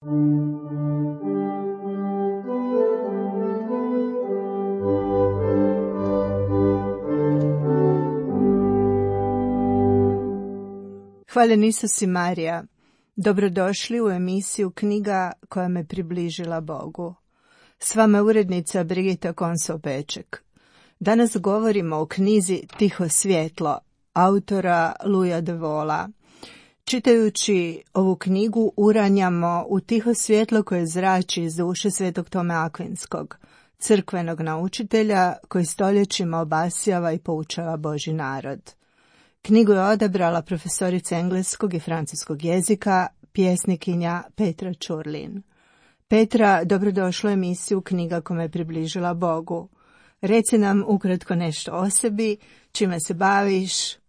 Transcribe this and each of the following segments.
Hvaljen Isus i Marija. Dobrodošli u emisiju Knjiga koja me približila Bogu. S vama je urednica Brigita Konso-Peček. Danas govorimo o knjizi Tiho svjetlo, autora Louisa de Wohla. Čitajući ovu knjigu uranjamo u tiho svjetlo koje zrači iz duše svetog Tome Akvinskog, crkvenog naučitelja koji stoljećima obasjava i poučava Božji narod. Knjigu je odabrala profesorica engleskog i francuskog jezika, pjesnikinja Petra Čurlin. Petra, dobrodošla u emisiju Knjiga koja me približila Bogu. Reci nam ukratko nešto o sebi, čime se baviš,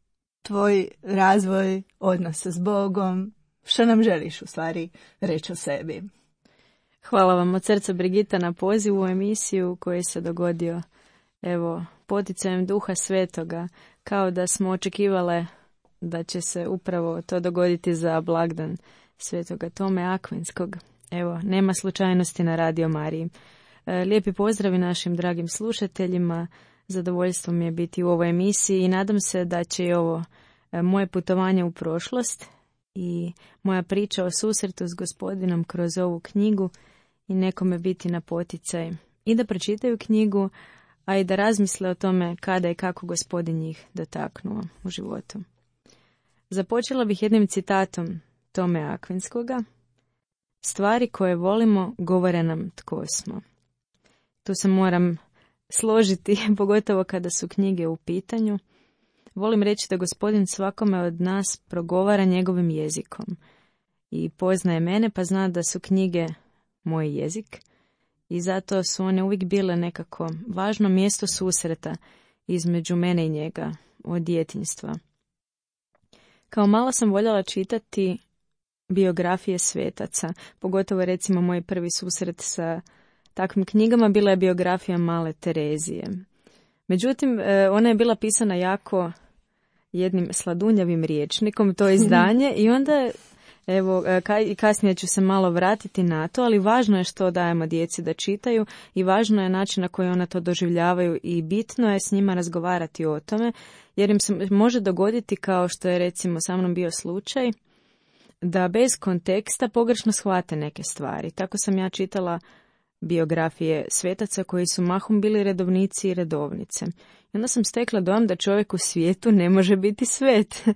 tvoj razvoj odnosa s Bogom, što nam želiš u stvari reći o sebi. Hvala vam od srca, Brigita, na pozivu u emisiju koji se dogodio poticajem Duha Svetoga, kao da smo očekivale da će se upravo to dogoditi za blagdan Svetoga Tome Akvinskog. Nema slučajnosti na Radio Mariji. Lijepi pozdravi našim dragim slušateljima. Zadovoljstvo mi je biti u ovoj emisiji i nadam se da će i ovo moje putovanje u prošlost i moja priča o susretu s Gospodinom kroz ovu knjigu i nekome biti na poticaj i da pročitaju knjigu, a i da razmisle o tome kada i kako Gospodin njih dotaknuo u životu. Započela bih jednim citatom Tome Akvinskoga. Stvari koje volimo govore nam tko smo. Tu se moram složiti, pogotovo kada su knjige u pitanju. Volim reći da Gospodin svakome od nas progovara njegovim jezikom i poznaje mene, pa zna da su knjige moj jezik i zato su one uvijek bile nekako važno mjesto susreta između mene i njega od djetinjstva. Kao mala sam voljela čitati biografije svetaca, pogotovo recimo moj prvi susret sa takvim knjigama bila je biografija Male Terezije. Međutim, ona je bila pisana jako jednim sladunjavim rječnikom, to izdanje, i onda kasnije ću se malo vratiti na to, ali važno je što dajemo djeci da čitaju i važno je način na koji ona to doživljavaju i bitno je s njima razgovarati o tome, jer im se može dogoditi, kao što je recimo sa mnom bio slučaj, da bez konteksta pogrešno shvate neke stvari. Tako sam ja čitala biografije svetaca koji su mahom bili redovnici i redovnice. I onda sam stekla dojam da čovjek u svijetu ne može biti svet.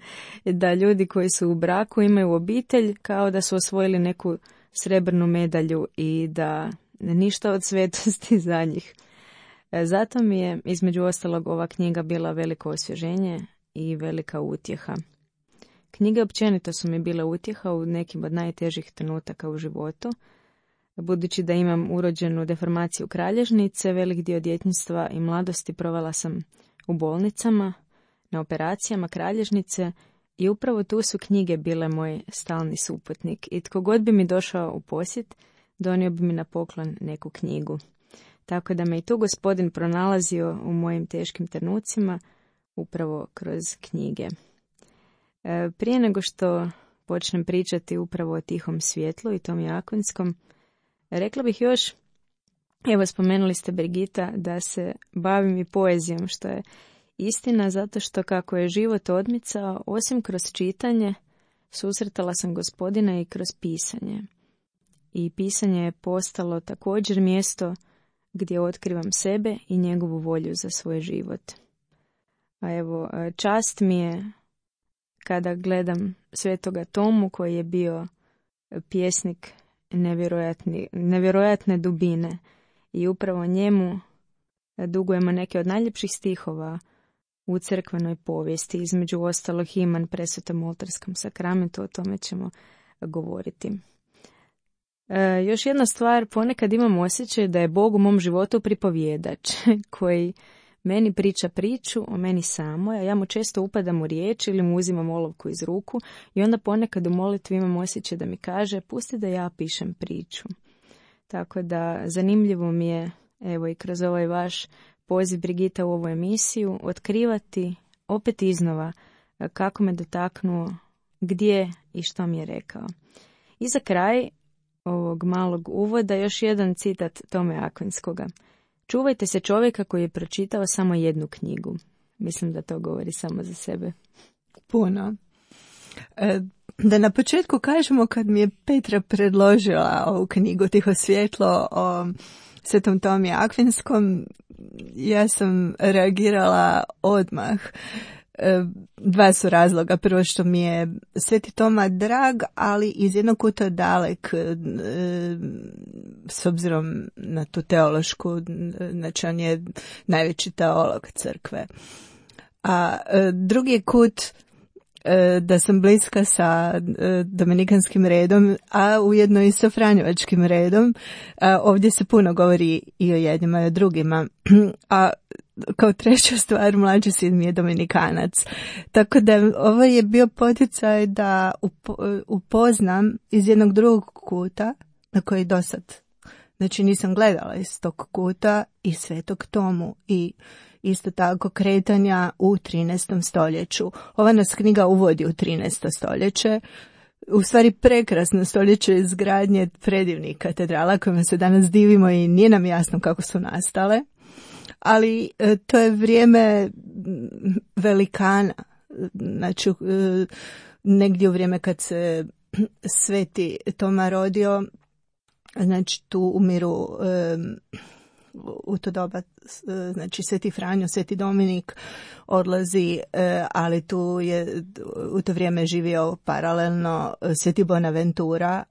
Da ljudi koji su u braku imaju obitelj kao da su osvojili neku srebrnu medalju i da ništa od svetosti za njih. Zato mi je između ostalog ova knjiga bila veliko osvježenje i velika utjeha. Knjige općenito su mi bile utjeha u nekim od najtežih trenutaka u životu. Budući da imam urođenu deformaciju kralježnice, velik dio djetinjstva i mladosti provela sam u bolnicama, na operacijama kralježnice i upravo tu su knjige bile moj stalni suputnik i tko god bi mi došao u posjet, donio bi mi na poklon neku knjigu. Tako da me i tu Gospodin pronalazio u mojim teškim trenucima upravo kroz knjige. Prije nego što počnem pričati upravo o Tihom svjetlu i Tomi Akvinskom, rekla bih još, spomenuli ste, Brigita, da se bavim i poezijom, što je istina, zato što kako je život odmicao, osim kroz čitanje, susretala sam Gospodina i kroz pisanje. I pisanje je postalo također mjesto gdje otkrivam sebe i njegovu volju za svoj život. A čast mi je kada gledam Svetoga Tomu, koji je bio pjesnik nevjerojatne dubine i upravo njemu dugujemo neke od najljepših stihova u crkvenoj povijesti, između ostalog Himan Presvetom oltarskom sakramentu, o tome ćemo govoriti. Još jedna stvar, ponekad imam osjećaj da je Bog u mom životu pripovjedač koji meni priča priču o meni samoj, a ja mu često upadam u riječ ili mu uzimam olovku iz ruku i onda ponekad u molitvi imam osjećaj da mi kaže pusti da ja pišem priču. Tako da zanimljivo mi je, i kroz ovaj vaš poziv, Brigita, u ovu emisiju, otkrivati opet iznova kako me dotaknuo, gdje i što mi je rekao. I za kraj ovog malog uvoda još jedan citat Tome Akvinskoga. Čuvajte se čovjeka koji je pročitao samo jednu knjigu. Mislim da to govori samo za sebe. Puno. Da na početku kažemo, kad mi je Petra predložila ovu knjigu Tiho svjetlo o Svetom Tomi Akvinskom, ja sam reagirala odmah. Dva su razloga. Prvo, što mi je Sveti Toma drag, ali iz jednog kuta dalek, s obzirom na tu teološku, znači on je najveći teolog crkve. A drugi kut, da sam bliska sa dominikanskim redom, a ujedno i sa franjevačkim redom. Ovdje se puno govori i o jednima i o drugima. A kao treća stvar, mlađi sin mi je dominikanac. Tako da ovo je bio poticaj da upoznam iz jednog drugog kuta, na koji dosad, znači nisam gledala iz tog kuta, i Svetog Tomu i isto tako kretanja u 13. stoljeću. Ova nas knjiga uvodi u 13. stoljeće, u stvari prekrasno stoljeće izgradnje predivnih katedrala kojima se danas divimo i nije nam jasno kako su nastale, ali to je vrijeme velikana, znači negdje u vrijeme kad se Sveti Toma rodio, znači tu umiru u to doba, znači Sveti Franjo, Sveti Dominik odlazi, ali tu je u to vrijeme živio paralelno Sveti Bonaventura,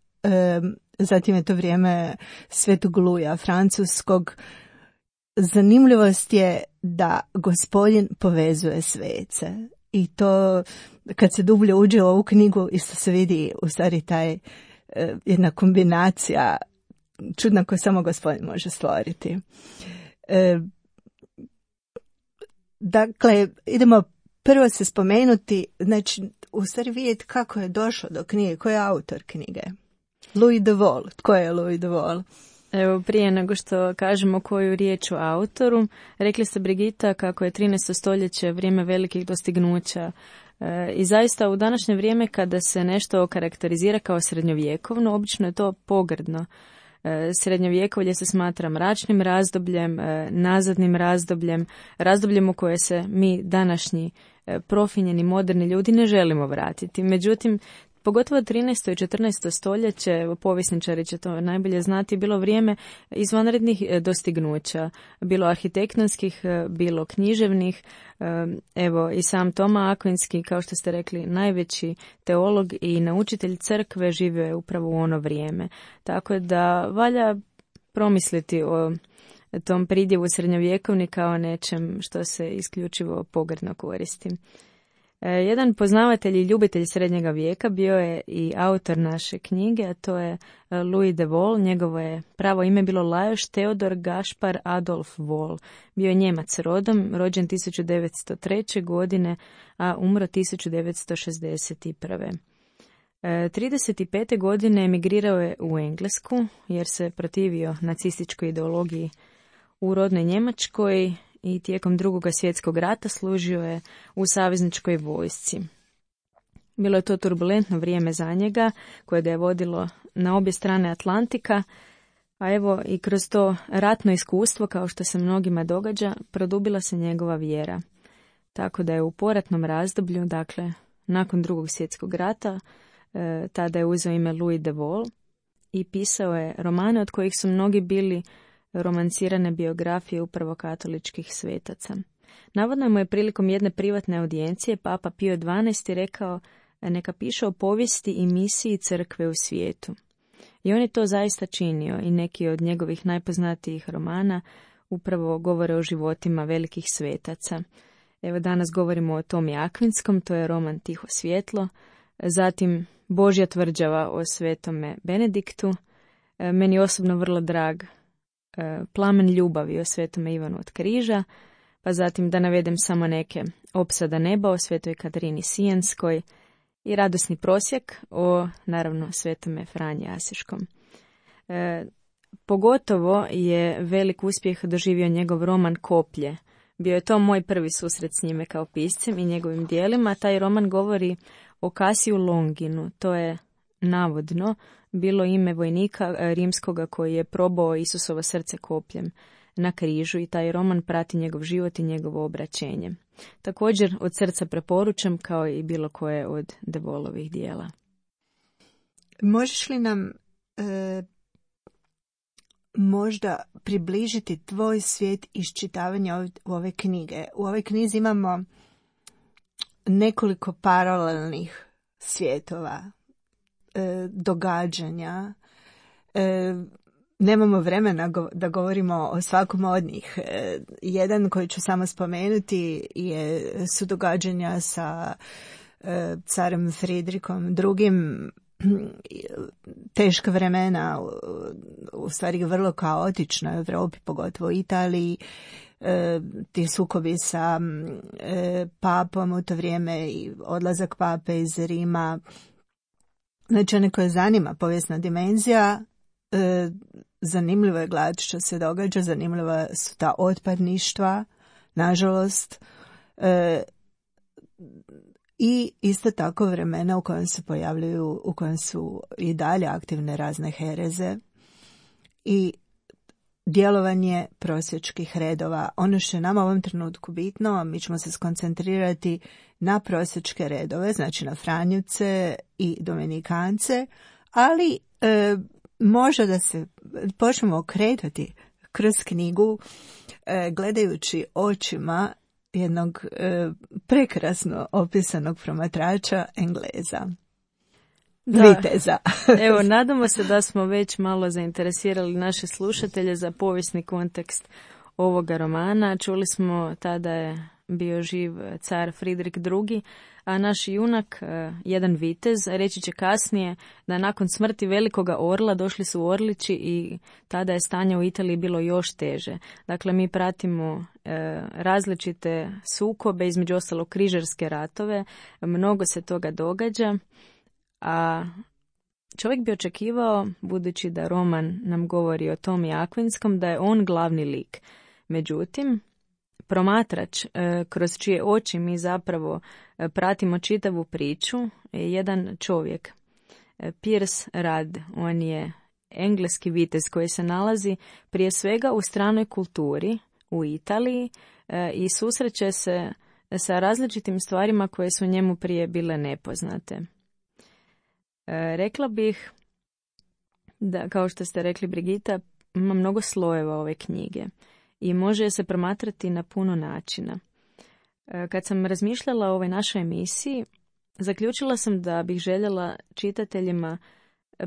zatim je to vrijeme Svetog Luja Francuskog. Zanimljivost je da Gospodin povezuje svece i to kad se dublje uđe u ovu knjigu isto se vidi u stvari taj jedna kombinacija čudna koju samo Gospodin može stvoriti. Dakle, idemo prvo se spomenuti, znači u stvari vidjeti kako je došlo do knjige, ko je autor knjige. Louis de Wohl. Tko je Louis de Wohl? Evo, prije nego što kažemo koju riječ o autoru, rekli ste, Brigita, kako je 13. stoljeće vrijeme velikih dostignuća. I zaista u današnje vrijeme kada se nešto okarakterizira kao srednjovjekovno, obično je to pogrdno. Srednjovjekovlje se smatra mračnim razdobljem, nazadnim razdobljem, razdobljem u koje se mi današnji profinjeni moderni ljudi ne želimo vratiti. Međutim, pogotovo 13. i 14. stoljeće, povjesničari će to najbolje znati, bilo vrijeme izvanrednih dostignuća, bilo arhitektonskih, bilo književnih. Evo, i sam Toma Akvinski, kao što ste rekli, najveći teolog i naučitelj crkve, živio je upravo u ono vrijeme. Tako da valja promisliti o tom pridjevu srednjovjekovni kao nečem što se isključivo pogrdno koristi. Jedan poznavatelj i ljubitelj srednjega vijeka bio je i autor naše knjige, a to je Louis de Wohl. Njegovo je pravo ime bilo Lajos Theodor Gaspar Adolf Wohl. Bio je Njemac rodom, rođen 1903. godine, a umro 1961. 35. godine emigrirao je u Englesku jer se protivio nacističkoj ideologiji u rodnoj Njemačkoj i tijekom Drugog svjetskog rata služio je u savezničkoj vojsci. Bilo je to turbulentno vrijeme za njega, koje ga je vodilo na obje strane Atlantika, a evo i kroz to ratno iskustvo, kao što se mnogima događa, produbila se njegova vjera. Tako da je u poratnom razdoblju, dakle nakon Drugog svjetskog rata, tada je uzeo ime Louis de Wohl i pisao je romane od kojih su mnogi bili romancirane biografije upravo katoličkih svetaca. Navodno mu je prilikom jedne privatne audijencije Papa Pio XII rekao neka piše o povijesti i misiji crkve u svijetu. I on je to zaista činio i neki od njegovih najpoznatijih romana upravo govore o životima velikih svetaca. Evo, danas govorimo o Tomi Akvinskom, to je roman Tiho svjetlo, zatim Božja tvrđava o svetome Benediktu, meni osobno vrlo drag Plamen ljubavi o svetome Ivanu od Križa, pa zatim da navedem samo neke, Opsada neba o svetoj Katarini Sijenskoj i Radosni prosjek o, naravno, svetome Franji Asiškom. Pogotovo je velik uspjeh doživio njegov roman Koplje. Bio je to moj prvi susret s njime kao piscem i njegovim dijelima. Taj roman govori o Kasiju Longinu, to je navodno bilo ime vojnika rimskoga koji je probao Isusovo srce kopljem na križu i taj roman prati njegov život i njegovo obraćenje. Također od srca preporučam kao i bilo koje od De Waullovih dijela. Možeš li nam možda približiti tvoj svijet iščitavanja ove knjige? U ovoj knjizi imamo nekoliko paralelnih svjetova, događanja. Nemamo vremena da govorimo o svakom od njih. Jedan koji ću samo spomenuti su događanja sa carem Fridrikom drugim, teška vremena, u stvari vrlo kaotična u Europi, pogotovo u Italiji, ti sukobi sa papom u to vrijeme i odlazak pape iz Rima. Znači, one koje zanima povijesna dimenzija, zanimljivo je gledati što se događa, zanimljiva su ta otpadništva, nažalost, i isto tako vremena u kojem se pojavljuju, u kojem su i dalje aktivne razne hereze i djelovanje prosjačkih redova. Ono što je nama u ovom trenutku bitno, mi ćemo se skoncentrirati na prosjačke redove, znači na Franjevce i Dominikance, ali može da se počnemo okretati kroz knjigu gledajući očima jednog prekrasno opisanog promatrača Engleza. Viteza. Evo, nadamo se da smo već malo zainteresirali naše slušatelje za povijesni kontekst ovoga romana. Čuli smo tada je bio živ car Fridrik II, a naš junak, jedan vitez, reći će kasnije da nakon smrti velikoga orla došli su orlići i tada je stanje u Italiji bilo još teže. Dakle, mi pratimo različite sukobe, između ostalo križarske ratove, mnogo se toga događa, a čovjek bi očekivao, budući da roman nam govori o Tomi Akvinskom, da je on glavni lik. Međutim, promatrač kroz čije oči mi zapravo pratimo čitavu priču je jedan čovjek, Piers Rudd. On je engleski vitez koji se nalazi prije svega u stranoj kulturi u Italiji i susreće se sa različitim stvarima koje su njemu prije bile nepoznate. Rekla bih da, kao što ste rekli Brigita, ima mnogo slojeva ove knjige i može se promatrati na puno načina. Kad sam razmišljala o ovoj našoj emisiji, zaključila sam da bih željela čitateljima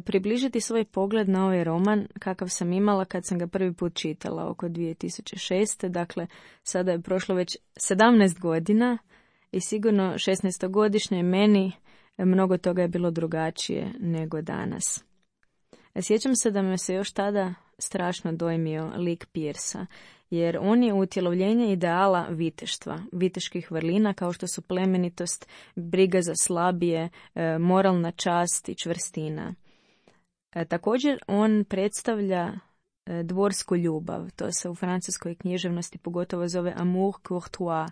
približiti svoj pogled na ovaj roman kakav sam imala kad sam ga prvi put čitala oko 2006. Dakle, sada je prošlo već 17 godina i sigurno 16-godišnjoj meni mnogo toga je bilo drugačije nego danas. Sjećam se da me se još tada strašno dojmio lik Piersa, jer on je utjelovljenje ideala viteštva, viteških vrlina kao što su plemenitost, briga za slabije, moralna čast i čvrstina. Također on predstavlja dvorsku ljubav, to se u francuskoj književnosti pogotovo zove amour courtois.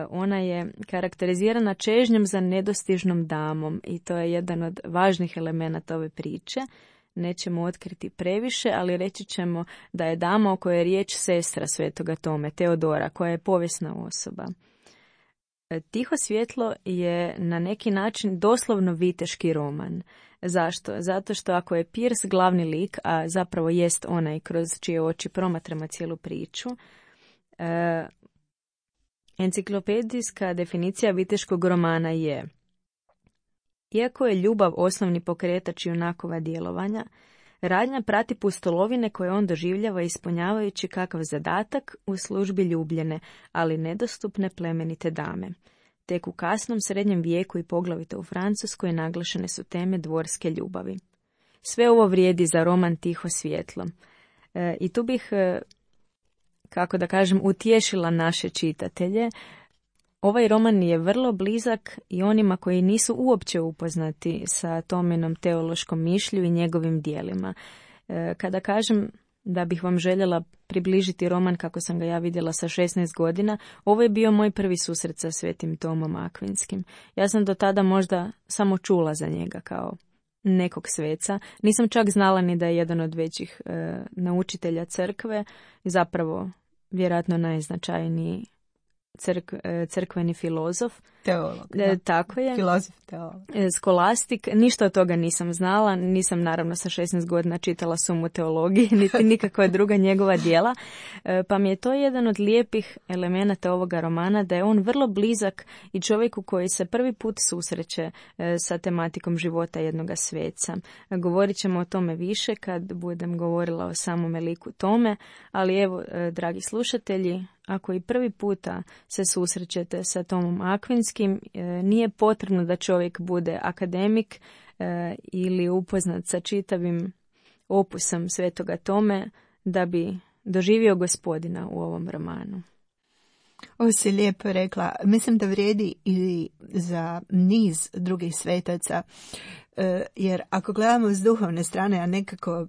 Ona je karakterizirana čežnjom za nedostižnom damom i to je jedan od važnih elemenata ove priče. Nećemo otkriti previše, ali reći ćemo da je dama o kojoj je riječ sestra svetoga Tome, Teodora, koja je povijesna osoba. Tiho svjetlo je na neki način doslovno viteški roman. Zašto? Zato što ako je Piers glavni lik, a zapravo jest onaj kroz čije oči promatramo cijelu priču, enciklopedijska definicija viteškog romana je: iako je ljubav osnovni pokretač junakova djelovanja, radnja prati pustolovine koje on doživljava ispunjavajući kakav zadatak u službi ljubljene, ali nedostupne plemenite dame. Tek u kasnom srednjem vijeku i poglavito u Francuskoj naglašene su teme dvorske ljubavi. Sve ovo vrijedi za roman Tiho svjetlo. I tu bih, kako da kažem, utješila naše čitatelje. Ovaj roman je vrlo blizak i onima koji nisu uopće upoznati sa Tominom teološkom mišlju i njegovim dijelima. Kada kažem da bih vam željela približiti roman kako sam ga ja vidjela sa 16 godina, ovo je bio moj prvi susret sa svetim Tomom Akvinskim. Ja sam do tada možda samo čula za njega kao nekog sveca. Nisam čak znala ni da je jedan od većih naučitelja crkve, zapravo vjerojatno najznačajniji crkveni filozof. Teolog. Tako je. Filozof, teolog. Skolastik. Ništa od toga nisam znala. Nisam naravno sa 16 godina čitala Sumu teologije, niti nikakva druga njegova djela. Pa mi je to jedan od lijepih elemenata ovoga romana, da je on vrlo blizak i čovjeku koji se prvi put susreće sa tematikom života jednoga sveca. Govorit ćemo o tome više kad budem govorila o samome liku Tome, ali evo, dragi slušatelji, ako i prvi puta se susrećete sa Tomom Akvinskim, nije potrebno da čovjek bude akademik ili upoznat sa čitavim opusom Svetoga Tome da bi doživio Gospodina u ovom romanu. Ovo si lijepo rekla. Mislim da vrijedi i za niz drugih svetaca, jer ako gledamo s duhovne strane, a nekako,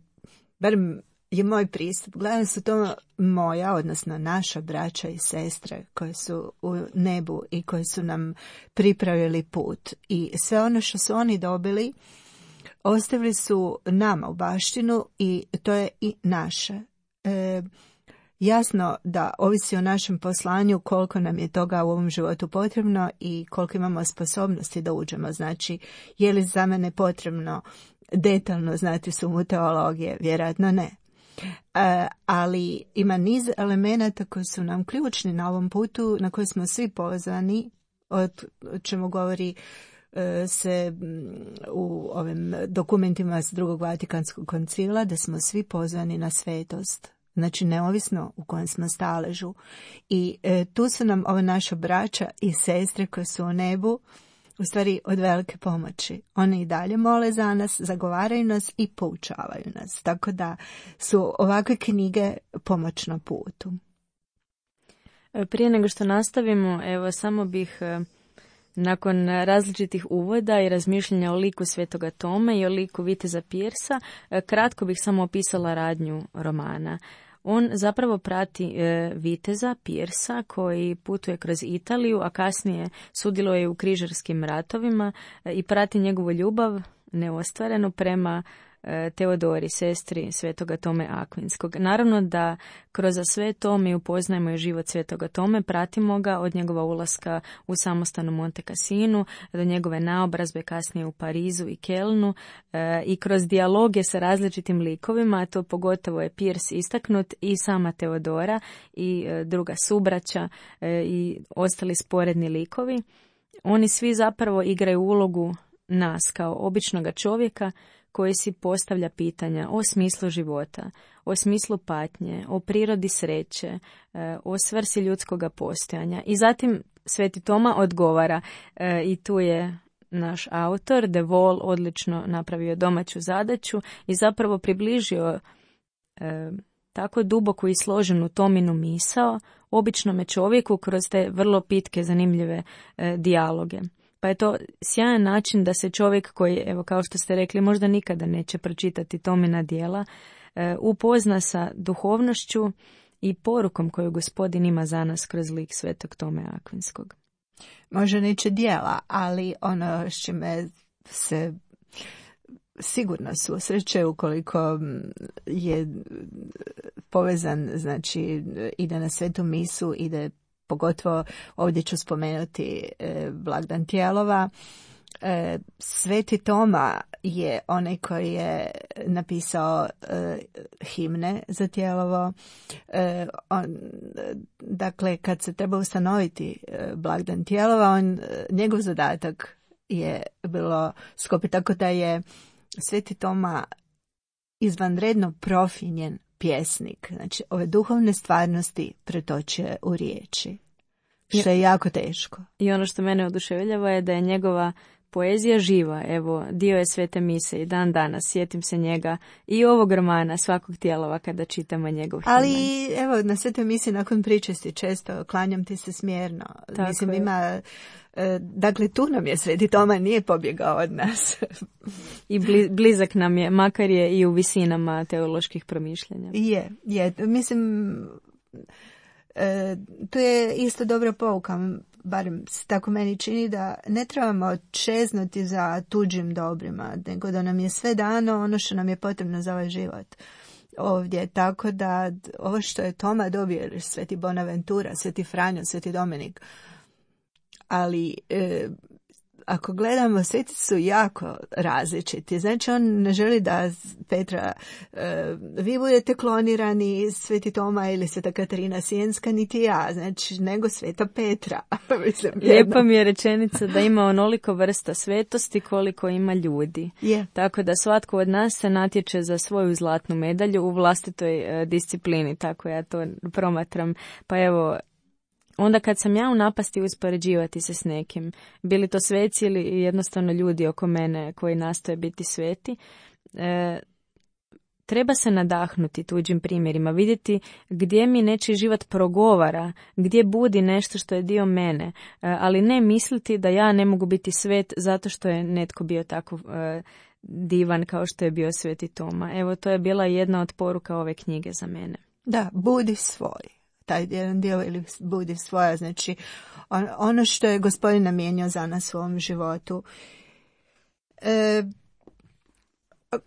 barem je moj pristup, gledam su to moja, odnosno naša braća i sestre koji su u nebu i koji su nam pripravili put. I sve ono što su oni dobili, ostavili su nama u baštinu i to je i naše. Jasno da ovisi o našem poslanju koliko nam je toga u ovom životu potrebno i koliko imamo sposobnosti da uđemo. Znači, je li za mene potrebno detaljno znati Sumu teologije? Vjerojatno ne. Ali ima niz elemenata koji su nam ključni na ovom putu na koji smo svi pozvani, o čemu govori se u ovim dokumentima s Drugog Vatikanskog koncila, da smo svi pozvani na svetost. Znači neovisno u kojem smo staležu. I tu su nam ova naša braća i sestre koje su u nebu u stvari od velike pomoći. Oni i dalje mole za nas, zagovaraju nas i poučavaju nas. Tako da su ovakve knjige pomoć na putu. Prije nego što nastavimo, evo samo bih nakon različitih uvoda i razmišljanja o liku Svetoga Tome i o liku Viteza Piersa, kratko bih samo opisala radnju romana. On zapravo prati viteza Piersa koji putuje kroz Italiju, a kasnije sudjeluje u križarskim ratovima i prati njegovu ljubav neostvarenu prema Teodori, sestri Svetoga Tome Akvinskog. Naravno da kroz sve to mi upoznajemo i život Svetoga Tome, pratimo ga od njegova ulaska u samostanu Monte Cassinu do njegove naobrazbe kasnije u Parizu i Kelnu i kroz dijaloge sa različitim likovima, a to pogotovo je Piers istaknut i sama Teodora i druga subraća i ostali sporedni likovi. Oni svi zapravo igraju ulogu nas kao običnoga čovjeka koji si postavlja pitanja o smislu života, o smislu patnje, o prirodi sreće, o svrsi ljudskoga postojanja. I zatim Sveti Toma odgovara i tu je naš autor, De Vol, odlično napravio domaću zadaću i zapravo približio tako duboku i složenu Tominu misao običnome čovjeku kroz te vrlo pitke, zanimljive dijaloge. Pa je to sjajan način da se čovjek koji, evo kao što ste rekli, možda nikada neće pročitati Tomina djela, upozna sa duhovnošću i porukom koju Gospodin ima za nas kroz lik Svetog Tome Akvinskog. Možda neće djela, ali ono s čime se sigurno susreće ukoliko je povezan, znači ide na svetu misu, ide pogotovo ovdje ću spomenuti blagdan Tijelova. Sveti Toma je onaj koji je napisao himne za Tijelovo. Dakle, kad se treba ustanoviti blagdan Tijelova, njegov zadatak je bilo skopiti, tako da je Sveti Toma izvanredno profinjen pjesnik. Znači, ove duhovne stvarnosti pretočuje u riječi, što je jako teško. I ono što mene oduševljava je da je njegova poezija živa. Evo, dio je Svete mise i dan danas sjetim se njega i ovog romana svakog Tijelova kada čitamo njegov himen. Ali evo, na Svetoj misi nakon pričesti često klanjam ti se smjerno. Tako mislim, je. ima... Dakle, tu nam je Sveti Toma, nije pobjegao od nas. I blizak nam je, makar je i u visinama teoloških promišljanja. Je. Mislim, To je isto dobra pouka, barem tako meni čini, da ne trebamo čeznuti za tuđim dobrima, nego da nam je sve dano ono što nam je potrebno za ovaj život ovdje. Tako da ovo što je Toma dobio, ili Sveti Bonaventura, Sveti Franjo, Sveti Dominik, ali ako gledamo, sveti su jako različiti. Znači, on ne želi da Petra, vi budete klonirani, Sveti Toma ili Sveta Katarina Sijenska, niti ja, znači, nego Sveta Petra. Mislim, lijepa mi je rečenica da ima onoliko vrsta svetosti koliko ima ljudi. Yeah. Tako da svatko od nas se natječe za svoju zlatnu medalju u vlastitoj disciplini, tako ja to promatram. Pa evo, onda kad sam ja u napasti uspoređivati se s nekim, bili to sveci ili jednostavno ljudi oko mene koji nastoje biti sveti, treba se nadahnuti tuđim primjerima, vidjeti gdje mi nečiji život progovara, gdje budi nešto što je dio mene, ali ne misliti da ja ne mogu biti svet zato što je netko bio tako divan kao što je bio Sveti Toma. Evo, to je bila jedna od poruka ove knjige za mene. Da, budi svoj. Taj jedan dio, ili budi svoja, znači ono što je Gospodin namijenio za nas u ovom životu.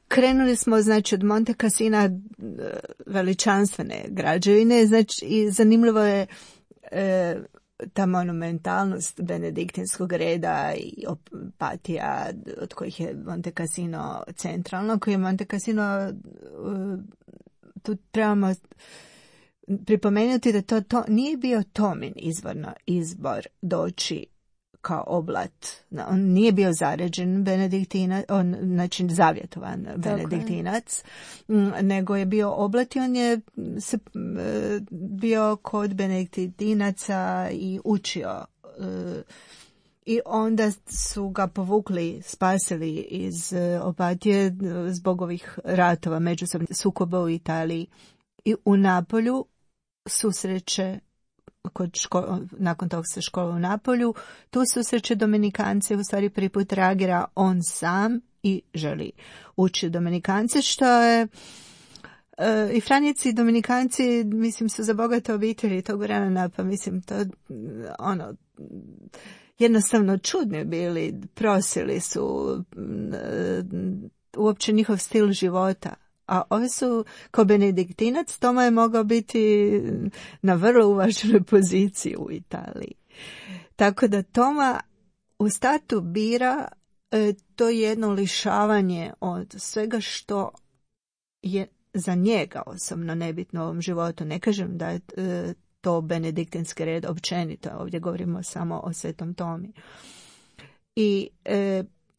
Krenuli smo, znači, od Monte Cassina, veličanstvene građevine, znači, i zanimljivo je ta monumentalnost benediktinskog reda i Opatija, od kojih je Monte Cassino centralno, koji je Monte Cassino, tu trebamo pripomenuti da to nije bio Tomin izbor doći kao oblat. On nije bio zaređen benediktinac, znači zavjetovan benediktinac, nego je bio oblat i on je bio kod benediktinaca i učio. I onda su ga povukli, spasili iz Opatije zbog ovih ratova, međusobnih sukoba u Italiji. I u Napolju susreće, nakon toga se škola u Napolju, tu susreće Dominikance, u stvari prvi put reagira on sam i želi učiti Dominikance, što je i Franjevci i Dominikanci, mislim, su za bogate obitelji tog vremena, pa mislim, to jednostavno čudni bili, prosili su uopće njihov stil života. A ovi su, kao benediktinac, Toma je mogao biti na vrlo uvaženoj poziciji u Italiji. Tako da Toma u startu bira to jedno lišavanje od svega što je za njega osobno nebitno u ovom životu. Ne kažem da je to benediktinski red općenito, ovdje govorimo samo o Svetom Tomi. I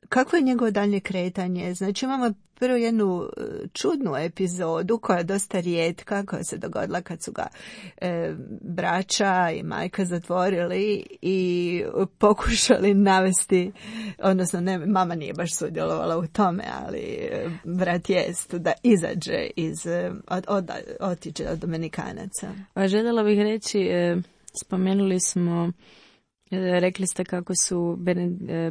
kako je njegovo daljnje kretanje? Znači, imamo prvo jednu čudnu epizodu koja je dosta rijetka, koja se dogodila kad su ga braća i majka zatvorili i pokušali navesti, odnosno ne, mama nije baš sudjelovala u tome, ali brat jest, da izađe otiđe od Dominikanaca. Željela bih reći, spomenuli smo, rekli ste kako su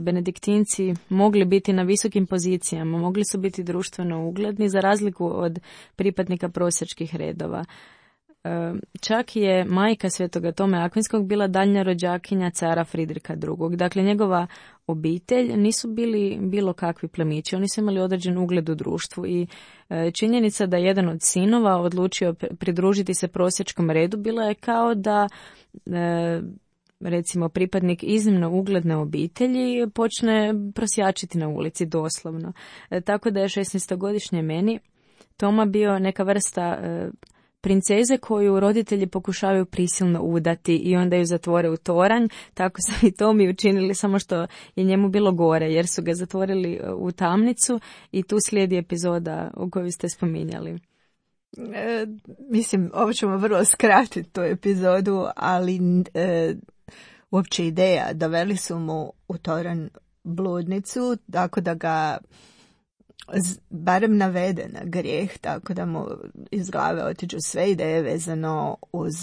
benediktinci mogli biti na visokim pozicijama, mogli su biti društveno ugledni za razliku od pripadnika prosjačkih redova. Čak je majka Svetoga Tome Akvinskog bila daljnja rođakinja cara Fridrika II. Dakle, njegova obitelj nisu bili bilo kakvi plemići, oni su imali određen ugled u društvu i činjenica da jedan od sinova odlučio pridružiti se prosjačkom redu bila je kao da recimo pripadnik iznimno ugledne obitelji počne prosjačiti na ulici doslovno. Tako da je 16-godišnje meni Toma bio neka vrsta princeze koju roditelji pokušavaju prisilno udati i onda ju zatvore u toranj. Tako su i Tomi učinili, samo što je njemu bilo gore jer su ga zatvorili u tamnicu i tu slijedi epizoda u koju ste spominjali. Mislim, ovo ćemo vrlo skratiti tu epizodu, ali uopće ideja, doveli su mu u toranj bludnicu, tako da ga barem navede na grijeh, tako da mu iz glave otiđu sve ideje vezano uz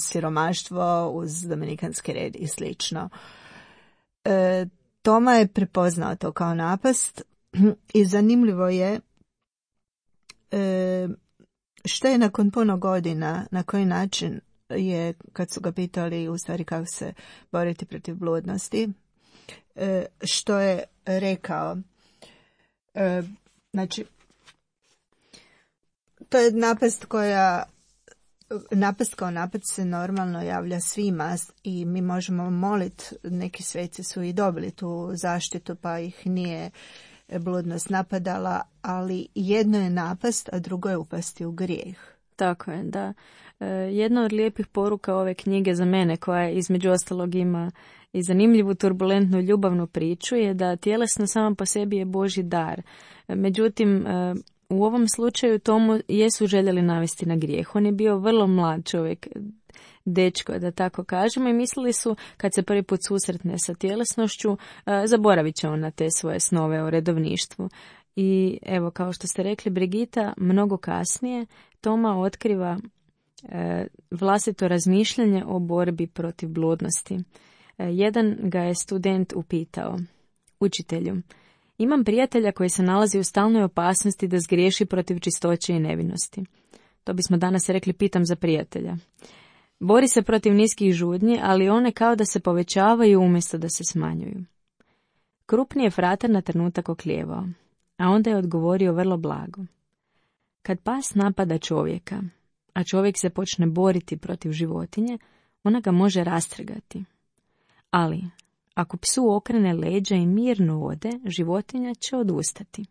siromaštvo, uz dominikanski red i slično. Toma je prepoznao to kao napast i zanimljivo je Što je nakon puno godina, na koji način je, kad su ga pitali u stvari kako se boriti protiv bludnosti, što je rekao? Znači, to je napast kao napad se normalno javlja svima i mi možemo moliti, neki sveci su i dobili tu zaštitu pa ih nije bludnost napadala, ali jedno je napast, a drugo je upasti u grijeh. Tako je, da. Jedna od lijepih poruka ove knjige za mene, koja između ostalog ima i zanimljivu turbulentnu ljubavnu priču, je da tjelesno samo po sebi je Božji dar. Međutim, u ovom slučaju Tomu jesu željeli navesti na grijeh. On je bio vrlo mlad čovjek, dečko, da tako kažemo, i mislili su, kad se prvi put susretne sa tjelesnošću, zaboravit će on na te svoje snove o redovništvu. I evo, kao što ste rekli, Brigita, mnogo kasnije Toma otkriva vlastito razmišljanje o borbi protiv bludnosti. Jedan ga je student upitao: učitelju, imam prijatelja koji se nalazi u stalnoj opasnosti da zgriješi protiv čistoće i nevinosti. To bismo danas rekli pitam za prijatelja. Bori se protiv niskih žudnji, ali one kao da se povećavaju umjesto da se smanjuju. Krupni je fratar na trenutak oklijevao, a onda je odgovorio vrlo blago: kad pas napada čovjeka, a čovjek se počne boriti protiv životinje, ona ga može rastrgati. Ali, ako psu okrene leđa i mirno ode, životinja će odustati.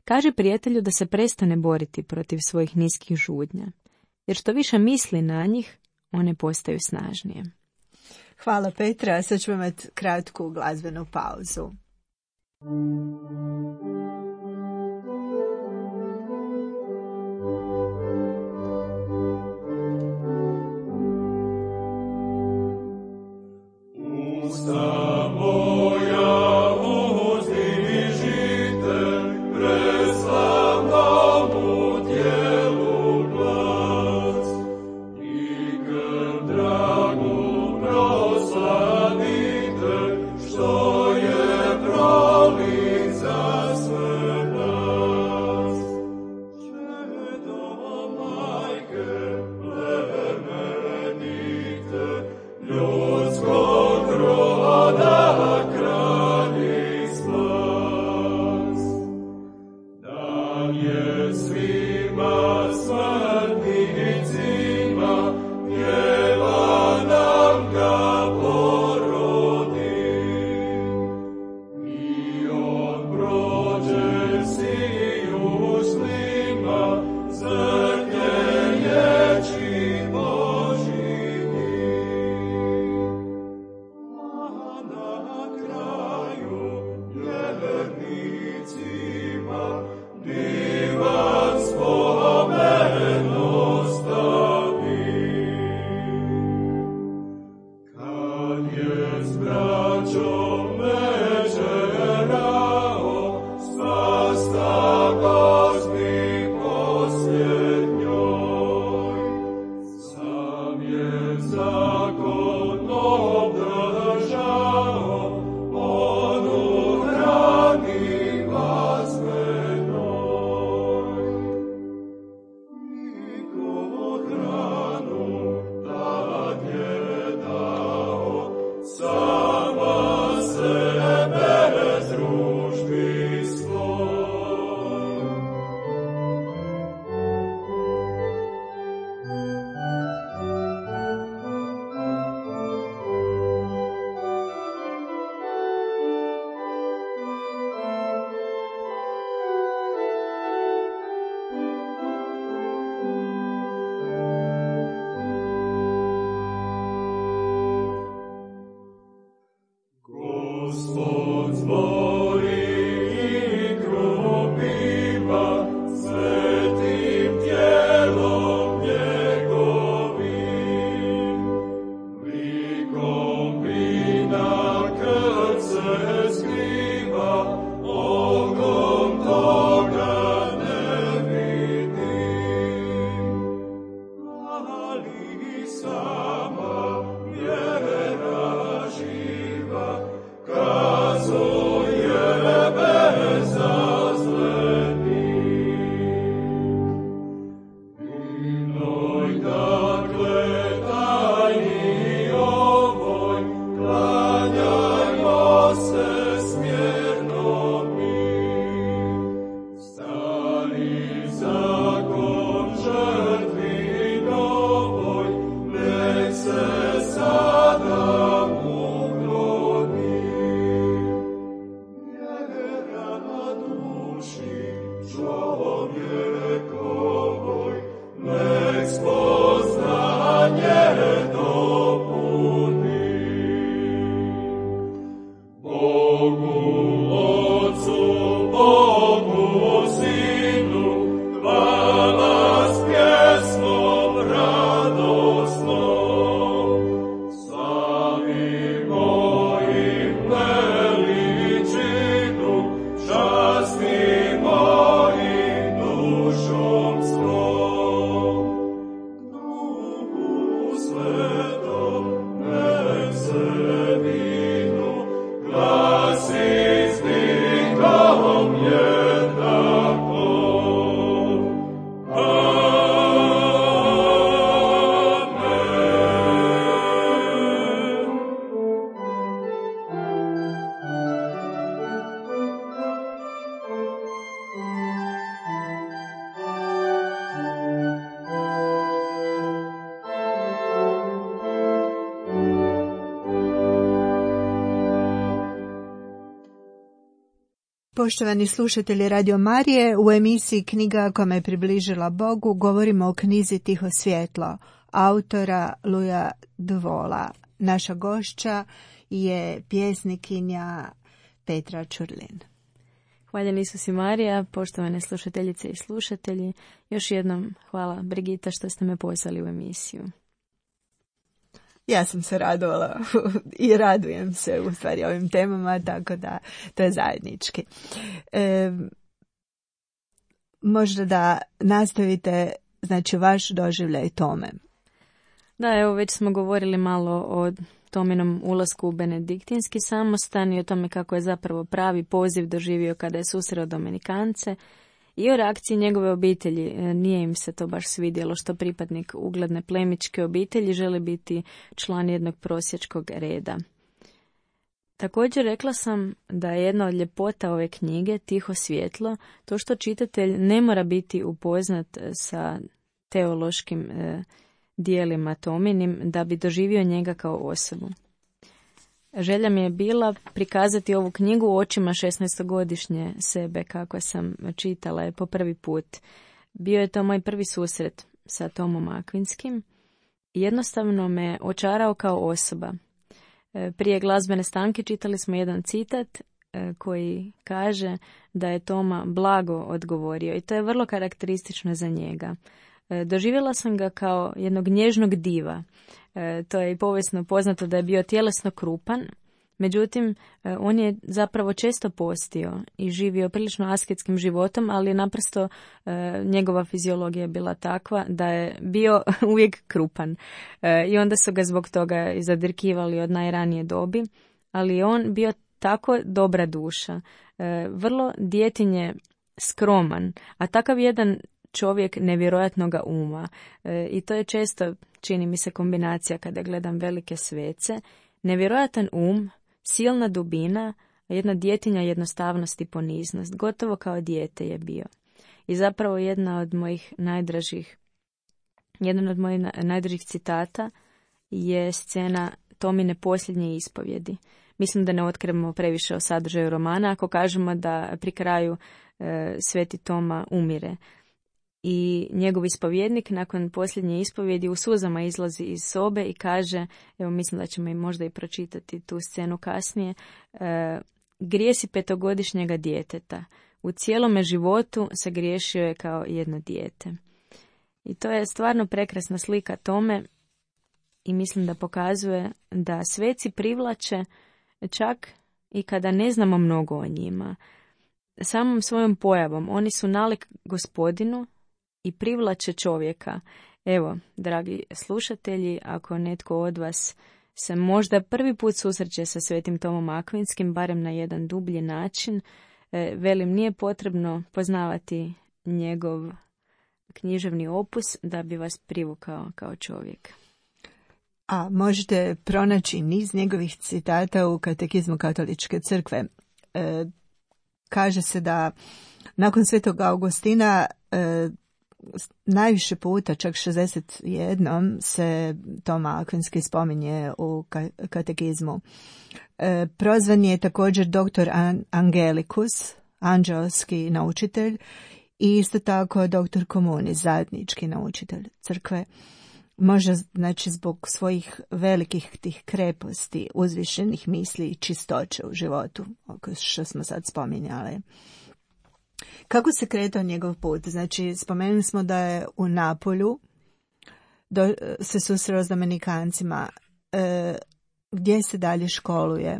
Kaže prijatelju da se prestane boriti protiv svojih niskih žudnja, jer što više misli na njih, one postaju snažnije. Hvala Petra, sad ćemo imati kratku glazbenu pauzu. Divan spomen Poštovani slušatelji Radio Marije, u emisiji Knjiga koja me približila Bogu govorimo o knjizi Tiho svjetlo, autora Luja Dvola. Naša gošća je pjesnikinja Petra Čurlin. Hvaljen Isus i Marija, poštovane slušateljice i slušatelji. Još jednom hvala Brigita što ste me pozvali u emisiju. Ja sam se radovala i radujem se u stvari ovim temama, tako da to je zajednički. Možda da nastavite, znači, vaš doživljaj tome. Da, evo već smo govorili malo o Tominom ulasku u benediktinski samostan i o tome kako je zapravo pravi poziv doživio kada je susreo Dominikance i o reakciji njegove obitelji. Nije im se to baš svidjelo što pripadnik ugledne plemićke obitelji želi biti član jednog prosječkog reda. Također rekla sam da je jedna od ljepota ove knjige, Tiho svjetlo, to što čitatelj ne mora biti upoznat sa teološkim dijelima Tominim da bi doživio njega kao osobu. Želja mi je bila prikazati ovu knjigu očima 16-godišnje sebe kako sam čitala je po prvi put. Bio je to moj prvi susret sa Tomom Akvinskim i jednostavno me očarao kao osoba. Prije glazbene stanke čitali smo jedan citat koji kaže da je Toma blago odgovorio i to je vrlo karakteristično za njega. Doživjela sam ga kao jednog nježnog diva. To je i povijesno poznato da je bio tjelesno krupan, međutim on je zapravo često postio i živio prilično asketskim životom, ali naprosto njegova fiziologija je bila takva da je bio uvijek krupan. I onda su ga zbog toga i zadirkivali od najranije dobi, ali je on bio tako dobra duša, vrlo djetinje skroman, a takav jedan čovjek nevjerojatnoga uma. I to je često, čini mi se, kombinacija kada gledam velike svece. Nevjerojatan silna dubina, jedna djetinja jednostavnost i poniznost. Gotovo kao dijete je bio. I zapravo jedan od mojih najdražih citata je scena Tomine posljednje ispovjedi. Mislim da ne otkrivamo previše o sadržaju romana ako kažemo da pri kraju Sveti Toma umire. I njegov ispovjednik nakon posljednje ispovjedi u suzama izlazi iz sobe i kaže, evo mislim da ćemo i možda i pročitati tu scenu kasnije, grijesi 5-godišnjega djeteta. U cijelome životu se griješio je kao jedno dijete. I to je stvarno prekrasna slika Tome i mislim da pokazuje da sveci privlače čak i kada ne znamo mnogo o njima. Samom svojom pojavom oni su nalik Gospodinu i privlače čovjeka. Evo, dragi slušatelji, ako netko od vas se možda prvi put susreće sa Svetim Tomom Akvinskim, barem na jedan dublji način, velim, nije potrebno poznavati njegov književni opus da bi vas privukao kao čovjek. A možete pronaći niz njegovih citata u Katekizmu Katoličke crkve. Kaže se da nakon Svetog Augustina najviše puta, čak 61, se Toma Akvinski spominje u Katekizmu. Prozvan je također doktor Angelicus, anđelski naučitelj, i isto tako doktor Communis, zajednički naučitelj crkve. Možda, znači, zbog svojih velikih tih kreposti, uzvišenih misli i čistoće u životu, što smo sad spominjali. Kako se kretao njegov put? Znači, spomenuli smo da je u Napolju se susreo s Dominikancima. Gdje se dalje školuje?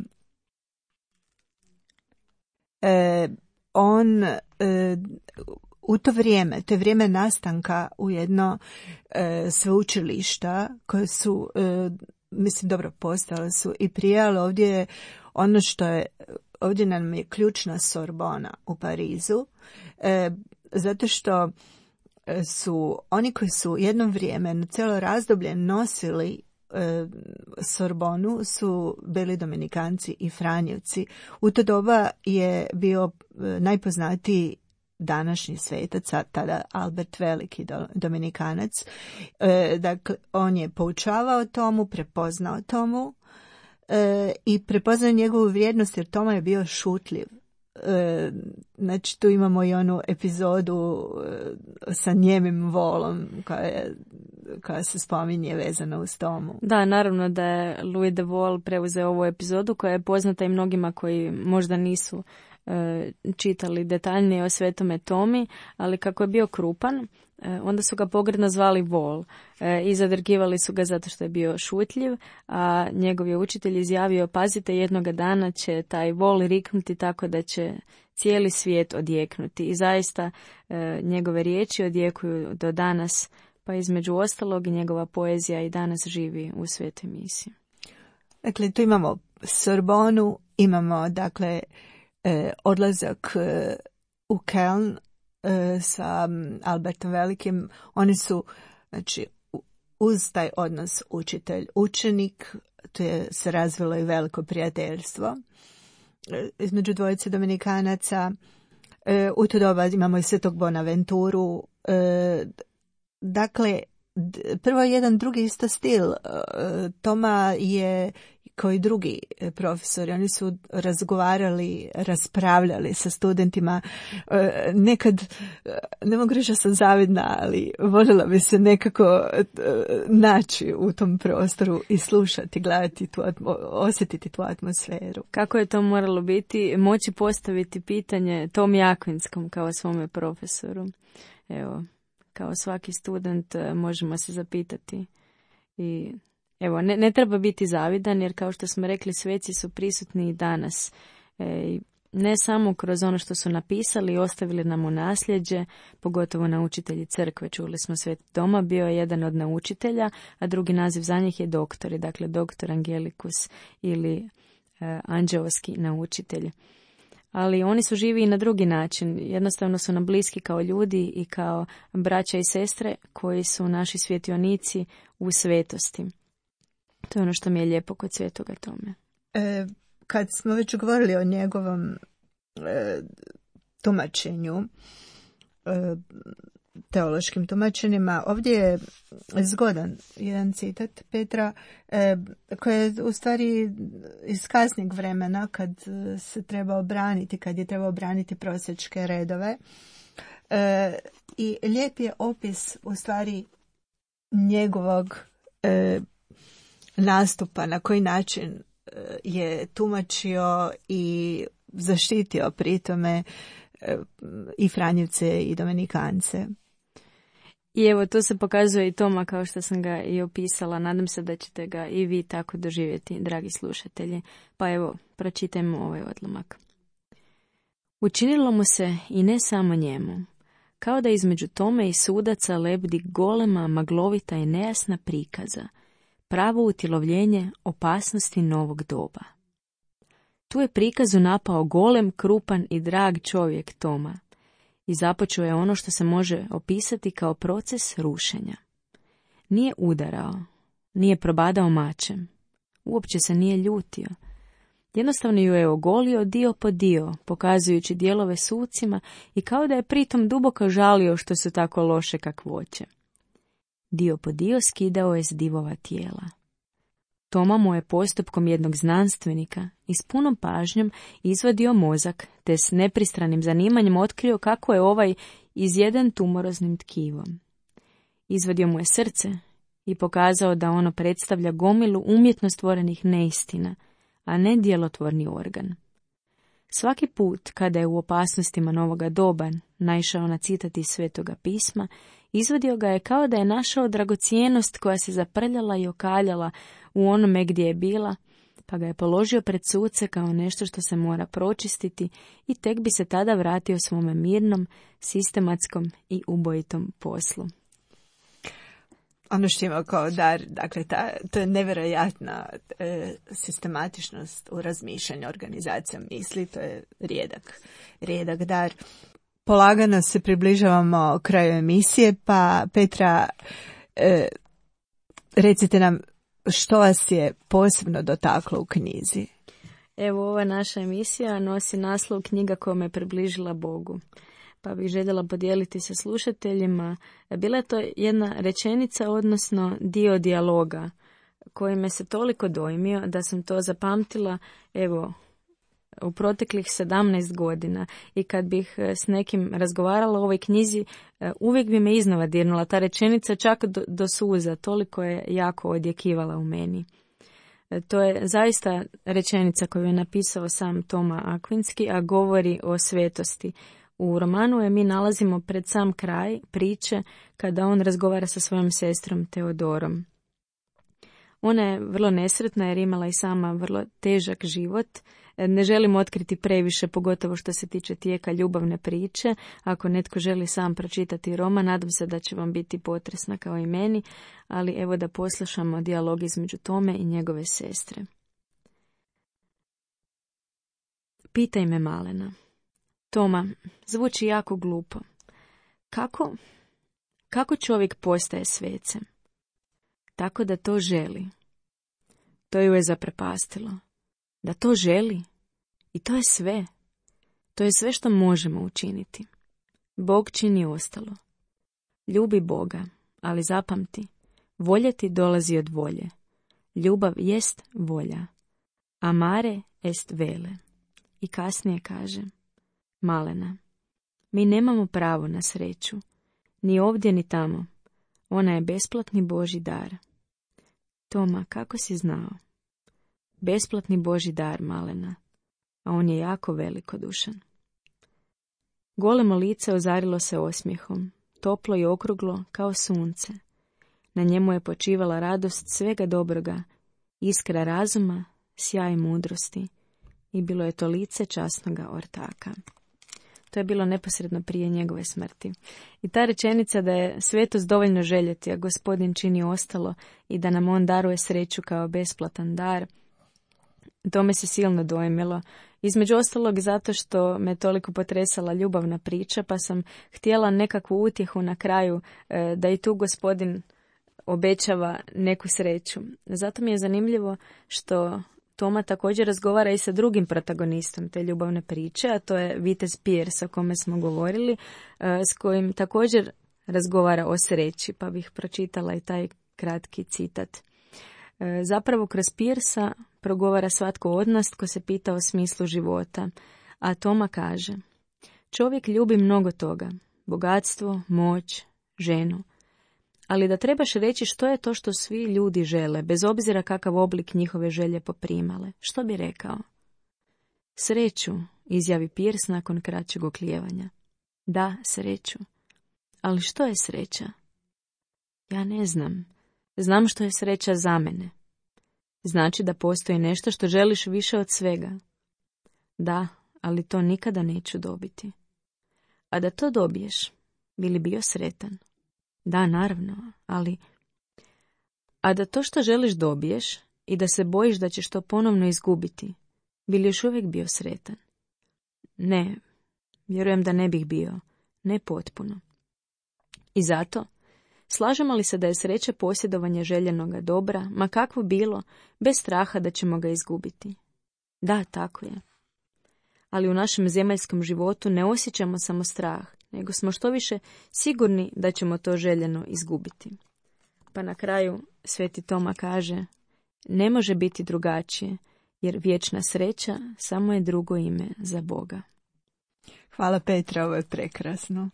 On u to je vrijeme nastanka ujedno sveučilišta koje su, mislim, dobro postale su i prije, ali ovdje je ono što je, ovdje nam je ključna Sorbona u Parizu, zato što su oni koji su jedno vrijeme na cijelo razdoblje nosili Sorbonu su bili Dominikanci i Franjevci. U to doba je bio najpoznatiji današnji svetac, tada Albert Veliki Dominikanac. Dakle, on je poučavao Tomu, prepoznao Tomu i prepoznao njegovu vrijednost, jer Toma je bio šutljiv. Znači tu imamo i onu epizodu sa njemim volom koja se spominje vezana uz tomu. Da, naravno da je Louis de Wohl preuzeo ovu epizodu koja je poznata i mnogima koji možda nisu čitali detaljnije o Svetome Tomi, ali kako je bio krupan, onda su ga pogrdno zvali Vol i zadrgivali su ga zato što je bio šutljiv, a njegov je učitelj izjavio: pazite, jednoga dana će taj Vol riknuti tako da će cijeli svijet odjeknuti. I zaista njegove riječi odjekuju do danas, pa između ostalog i njegova poezija i danas živi u Svetoj misiji. Dakle, tu imamo Sorbonu, imamo dakle odlazak u Keln sa Albertom Velikim. Oni su, znači, uz taj odnos učitelj-učenik, tu je se razvilo i veliko prijateljstvo između dvojice Dominikanaca. U to doba imamo i Svetog Bonaventuru. Dakle, prvo jedan drugi isto stil. Toma je kao i drugi profesori, oni su razgovarali, raspravljali sa studentima. Nekad, ne mogu reći da sam zavidna, ali voljela bi se nekako naći u tom prostoru i slušati, gledati, osjetiti tu atmosferu. Kako je to moralo biti? Moći postaviti pitanje Tomi Akvinskom kao svome profesoru. Evo, kao svaki student možemo se zapitati. I evo, ne treba biti zavidan, jer kao što smo rekli, sveci su prisutni i danas. Ne samo kroz ono što su napisali i ostavili nam u nasljeđe, pogotovo naučitelji crkve. Čuli smo Sveti Toma, bio je jedan od naučitelja, a drugi naziv za njih je doktori, dakle doktor Angelikus ili anđeoski naučitelj. Ali oni su živi i na drugi način. Jednostavno su nam bliski kao ljudi i kao braća i sestre koji su naši svjetionici u svetosti. To je ono što mi je lijepo kod Svetoga Tome. Kad smo već govorili o njegovom tumačenju, teološkim tumačenjima, ovdje je zgodan jedan citat Petra koji je u stvari iz kasnijeg vremena, kad se treba obraniti, kad je trebao obraniti prosjačke redove. I lijep je opis u stvari njegovog nastupa, na koji način je tumačio i zaštitio pritome i Franjevce i Dominikance. I evo, to se pokazuje i Toma kao što sam ga i opisala. Nadam se da ćete ga i vi tako doživjeti, dragi slušatelji. Pa evo, pročitajmo ovaj odlomak. Učinilo mu se i ne samo njemu, kao da između Tome i sudaca lebdi golema, maglovita i nejasna prikaza, pravo utjelovljenje opasnosti novog doba. Tu je prikazu napao golem, krupan i drag čovjek Toma i započeo je ono što se može opisati kao proces rušenja. Nije udarao, nije probadao mačem, uopće se nije ljutio. Jednostavno ju je ogolio dio po dio, pokazujući dijelove sucima i kao da je pritom duboko žalio što su tako loše kakvoće. Dio po dio skidao je s divova tijela. Toma mu je postupkom jednog znanstvenika i s punom pažnjom izvadio mozak, te s nepristranim zanimanjem otkrio kako je ovaj izjeden tumoroznim tkivom. Izvadio mu je srce i pokazao da ono predstavlja gomilu umjetno stvorenih neistina, a ne djelotvorni organ. Svaki put kada je u opasnostima novoga doba naišao na citat iz Svetoga pisma, izvadio ga je kao da je našao dragocijenost koja se zaprljala i okaljala u onome gdje je bila, pa ga je položio pred suce kao nešto što se mora pročistiti i tek bi se tada vratio svome mirnom, sistematskom i ubojitom poslu. Ono što ima kao dar, dakle, to je nevjerojatna sistematičnost u razmišljanju, organizacija misli, to je rijedak dar. Polagano se približavamo kraju emisije, pa Petra, recite nam što vas je posebno dotaklo u knjizi. Evo, ova naša emisija nosi naslov Knjiga koja me približila Bogu. Pa bih željela podijeliti sa slušateljima. Bila je to jedna rečenica, odnosno dio dijaloga, koji me se toliko dojmio da sam to zapamtila, evo, u proteklih 17 godina i kad bih s nekim razgovarala o ovoj knjizi, uvijek bi me iznova dirnula ta rečenica čak do suza, toliko je jako odjekivala u meni. To je zaista rečenica koju je napisao sam Toma Akvinski, a govori o svetosti. U romanu je mi nalazimo pred sam kraj priče kada on razgovara sa svojom sestrom Teodorom. Ona je vrlo nesretna jer imala i sama vrlo težak život. Ne želim otkriti previše, pogotovo što se tiče tijeka ljubavne priče. Ako netko želi sam pročitati roman, nadam se da će vam biti potresna kao i meni, ali evo da poslušamo dijalog između Tome i njegove sestre. Pitaj me, malena. Toma, zvuči jako glupo. Kako čovjek postaje svecem? Tako da to želi. To ju je zaprepastilo. Da to želi. I to je sve. To je sve što možemo učiniti. Bog čini ostalo. Ljubi Boga, ali zapamti, voljeti dolazi od volje. Ljubav jest volja. Amare est vele. I kasnije kaže, malena, mi nemamo pravo na sreću. Ni ovdje ni tamo. Ona je besplatni Božji dar. Toma, kako si znao? Besplatni Božji dar, malena, a on je jako velikodušan. Golemo lice ozarilo se osmijehom, toplo i okruglo kao sunce. Na njemu je počivala radost svega dobroga, iskra razuma, sjaj mudrosti i bilo je to lice časnoga ortaka. To je bilo neposredno prije njegove smrti. I ta rečenica da je svetost dovoljno željeti, a Gospodin čini ostalo i da nam on daruje sreću kao besplatan dar, to me se silno dojmilo. Između ostalog zato što me toliko potresala ljubavna priča, pa sam htjela nekakvu utjehu na kraju da i tu Gospodin obećava neku sreću. Zato mi je zanimljivo što Toma također razgovara i sa drugim protagonistom te ljubavne priče, a to je vitez Pierce o kome smo govorili, s kojim također razgovara o sreći, pa bih pročitala i taj kratki citat. Zapravo kroz Piercea progovara svatko od nas tko se pita o smislu života, a Toma kaže, čovjek ljubi mnogo toga, bogatstvo, moć, ženu, ali da trebaš reći što je to što svi ljudi žele, bez obzira kakav oblik njihove želje poprimale. Što bi rekao? Sreću, izjavi Pierce nakon kraćeg oklijevanja. Da, sreću. Ali što je sreća? Ja ne znam. Znam što je sreća za mene. Znači da postoji nešto što želiš više od svega. Da, ali to nikada neću dobiti. A da to dobiješ, bi li bio sretan? Da, naravno, ali... A da to što želiš dobiješ i da se bojiš da ćeš to ponovno izgubiti, bi li još uvijek bio sretan? Ne, vjerujem da ne bih bio, ne potpuno. I zato, slažemo li se da je sreća posjedovanje željenoga dobra, ma kakvo bilo, bez straha da ćemo ga izgubiti? Da, tako je. Ali u našem zemaljskom životu ne osjećamo samo strah, nego smo što više sigurni da ćemo to željeno izgubiti. Pa na kraju Sveti Toma kaže, ne može biti drugačije, jer vječna sreća samo je drugo ime za Boga. Hvala Petra, ovo je prekrasno.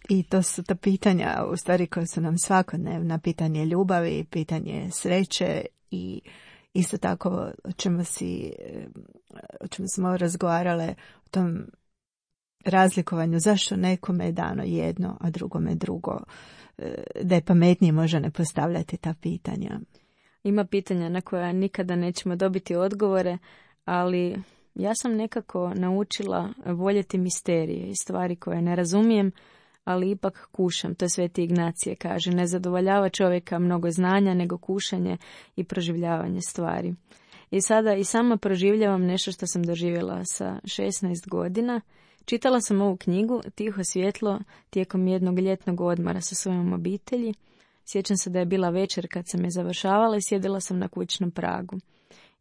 I to su ta pitanja, u stvari, koje su nam svakodnevna, pitanje ljubavi, pitanje sreće i isto tako o čemu smo razgovarale, o tom razlikovanju, zašto nekome je dano jedno, a drugome drugo, da je pametnije možda ne postavljati ta pitanja. Ima pitanja na koja nikada nećemo dobiti odgovore, ali ja sam nekako naučila voljeti misterije i stvari koje ne razumijem, ali ipak kušam. To Sveti Ignacije kaže, ne zadovoljava čovjeka mnogo znanja, nego kušanje i proživljavanje stvari. I sada i sama proživljavam nešto što sam doživjela sa 16 godina. Čitala sam ovu knjigu Tiho svjetlo tijekom jednog ljetnog odmora sa svojom obitelji. Sjećam se da je bila večer kad sam je završavala i sjedila sam na kućnom pragu.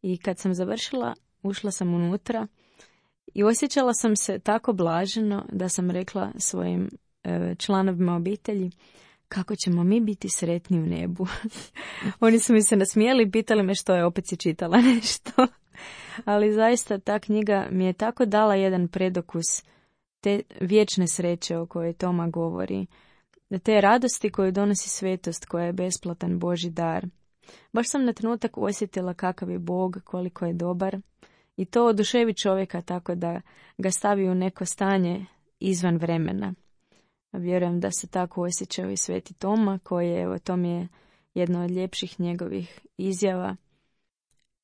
I kad sam završila, ušla sam unutra i osjećala sam se tako blaženo da sam rekla svojim članovima obitelji kako ćemo mi biti sretni u nebu. Oni su mi se nasmijali i pitali me što je, opet si čitala nešto. Ali zaista ta knjiga mi je tako dala jedan predokus te vječne sreće o kojoj Toma govori, te radosti koju donosi svetost koja je besplatan Božji dar. Baš sam na trenutak osjetila kakav je Bog, koliko je dobar i to oduševi čovjeka tako da ga stavi u neko stanje izvan vremena. Vjerujem da se tako osjećao i Sveti Toma, koji je, evo, to mi je jedna od ljepših njegovih izjava.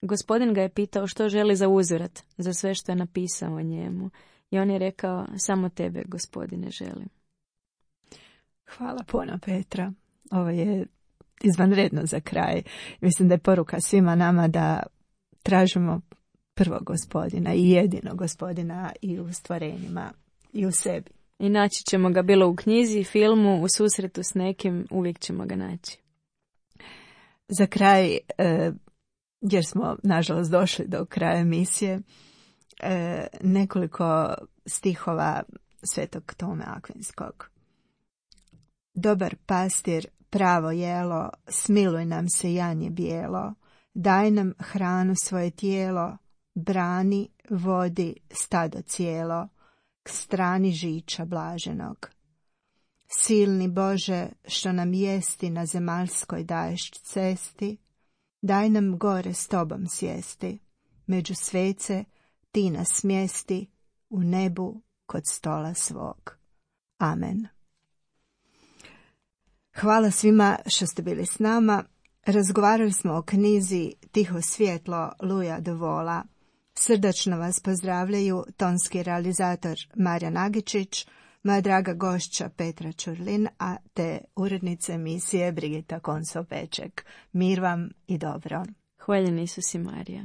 Gospodin ga je pitao što želi za uzorat, za sve što je napisao o njemu. I on je rekao, samo tebe, Gospodine, želim. Hvala puno, Petra. Ovo je izvanredno za kraj. Mislim da je poruka svima nama da tražimo prvog Gospodina i jedinog Gospodina i u stvorenjima i u sebi. I naći ćemo ga bilo u knjizi, filmu, u susretu s nekim, uvijek ćemo ga naći. Za kraj, jer smo nažalost došli do kraja emisije, nekoliko stihova Svetog Tome Akvinskog. Dobar pastir, pravo jelo, smiluj nam se janje bijelo, daj nam hranu svoje tijelo, brani, vodi stado cijelo, k strani žiča blaženog. Silni Bože, što nam jesti na zemaljskoj daješ cesti, daj nam gore s tobom sjesti, među svece ti nas smjesti, u nebu kod stola svog. Amen. Hvala svima što ste bili s nama. Razgovarali smo o knjizi Tiho svjetlo Luja de Vola. Srdačno vas pozdravljaju tonski realizator Marija Nagičić, moja draga gošća Petra Čurlin, a te urednice emisije Brigita Konso-Peček. Mir vam i dobro. Hvaljen Isus i Marija.